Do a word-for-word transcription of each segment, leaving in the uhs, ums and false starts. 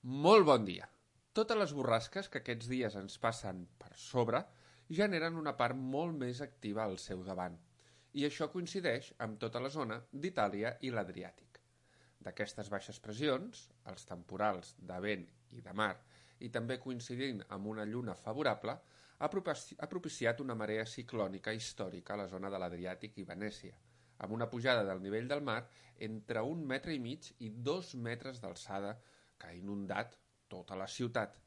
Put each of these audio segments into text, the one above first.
Molt bon dia. Totes les borrasques que aquests dies ens passen per sobre generen una part molt més activa al seu davant, i això coincideix amb tota la zona d'Itàlia i l'Adriàtic. D'aquestes baixes pressions, els temporals de vent i de mar, i també coincidint amb una lluna favorable, ha propiciat una marea ciclònica històrica a la zona de l'Adriàtic i Venècia, amb una pujada del nivell del mar entre un metre i mig i dos metres d'alçada que ha inundat tota la ciutat,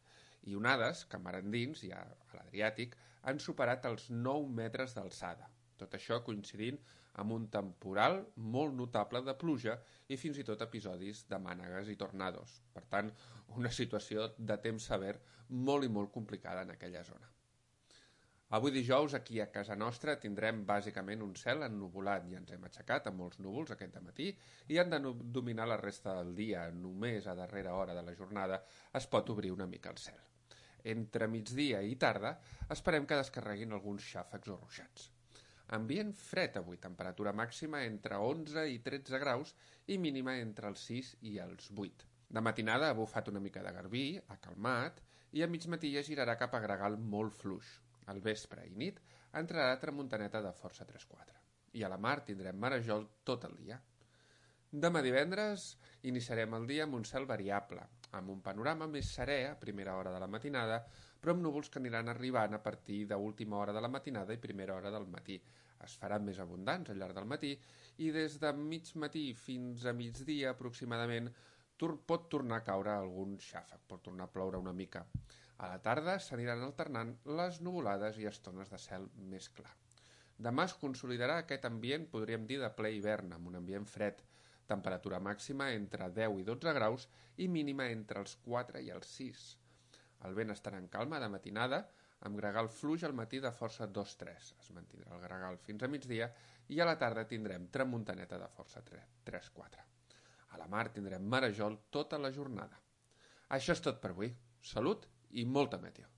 i onades que mar endins i a l'Adriàtic han superat els nou metres d'alçada. Tot això coincidint amb un temporal molt notable de pluja i fins i tot episodis de mànegues i tornados. Per tant, una situació de temps sever molt i molt complicada en aquella zona. Avui dijous aquí a casa nostra tindrem bàsicament un cel ennuvolat i ens hem aixecat amb molts núvols aquest matí i han de dominar la resta del dia. Només a darrera hora de la jornada es pot obrir una mica el cel. Entre migdia i tarda esperem que descarreguin alguns xàfecs o ruixats. Ambient fred avui, temperatura màxima entre onze i tretze graus i mínima entre els sis i els vuit. De matinada ha bufat una mica de garbí, ha calmat i a mig matí ja girarà cap a gregal molt fluix. Al vespre i nit entrarà tramuntaneta de força tres quatre. I a la mar tindrem marejol tot el dia. Demà divendres iniciarem el dia amb un cel variable, amb un panorama més serè a primera hora de la matinada, però amb núvols que aniran arribant a partir d'última hora de la matinada i primera hora del matí. Es faran més abundants al llarg del matí i des de mig matí fins a migdia aproximadament pot tornar a caure algun xàfec, pot tornar a ploure una mica. A la tarda s'aniran alternant les nuvolades i estones de cel més clar. Demà es consolidarà aquest ambient, podríem dir, de ple hivern, amb un ambient fred, temperatura màxima entre deu i dotze graus i mínima entre els quatre i els sis. El vent estarà en calma de matinada, amb gregal fluix al matí de força dos tres. Es mantindrà el gregal fins a migdia i a la tarda tindrem tramuntaneta de força tres quatre. A la mar tindrem marejol tota la jornada. Això és tot per avui. Salut i molta meteo.